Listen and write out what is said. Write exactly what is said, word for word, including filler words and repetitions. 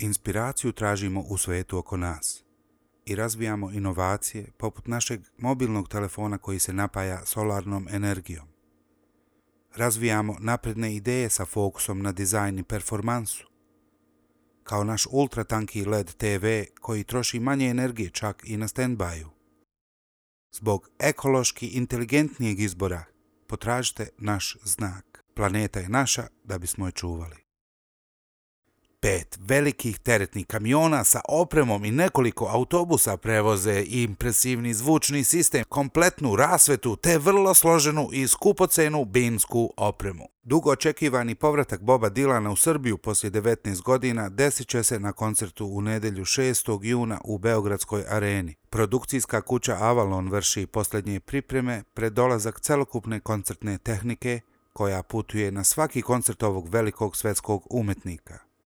Inspiraciju tražimo u svetu oko nas i razvijamo inovacije poput našeg mobilnog telefona koji se napaja solarnom energijom. Razvijamo napredne ideje sa fokusom na dizajn i performansu, kao naš ultratanki L E D te ve koji troši manje energije čak i na stand-byu. Zbog ekološki inteligentnijeg izbora potražite naš znak. Planeta je naša da bismo je čuvali. Pet velikih teretnih kamiona sa opremom i nekoliko autobusa prevoze impresivni zvučni sistem, kompletnu rasvetu te vrlo složenu i skupocenu binsku opremu. Dugo očekivani povratak Boba Dylana u Srbiju poslije devetnaest godina desit će se na koncertu u nedjelju šestog juna u Beogradskoj areni. Produkcijska kuća Avalon vrši posljednje pripreme pred dolazak celokupne koncertne tehnike koja putuje na svaki koncert ovog velikog svetskog umetnika.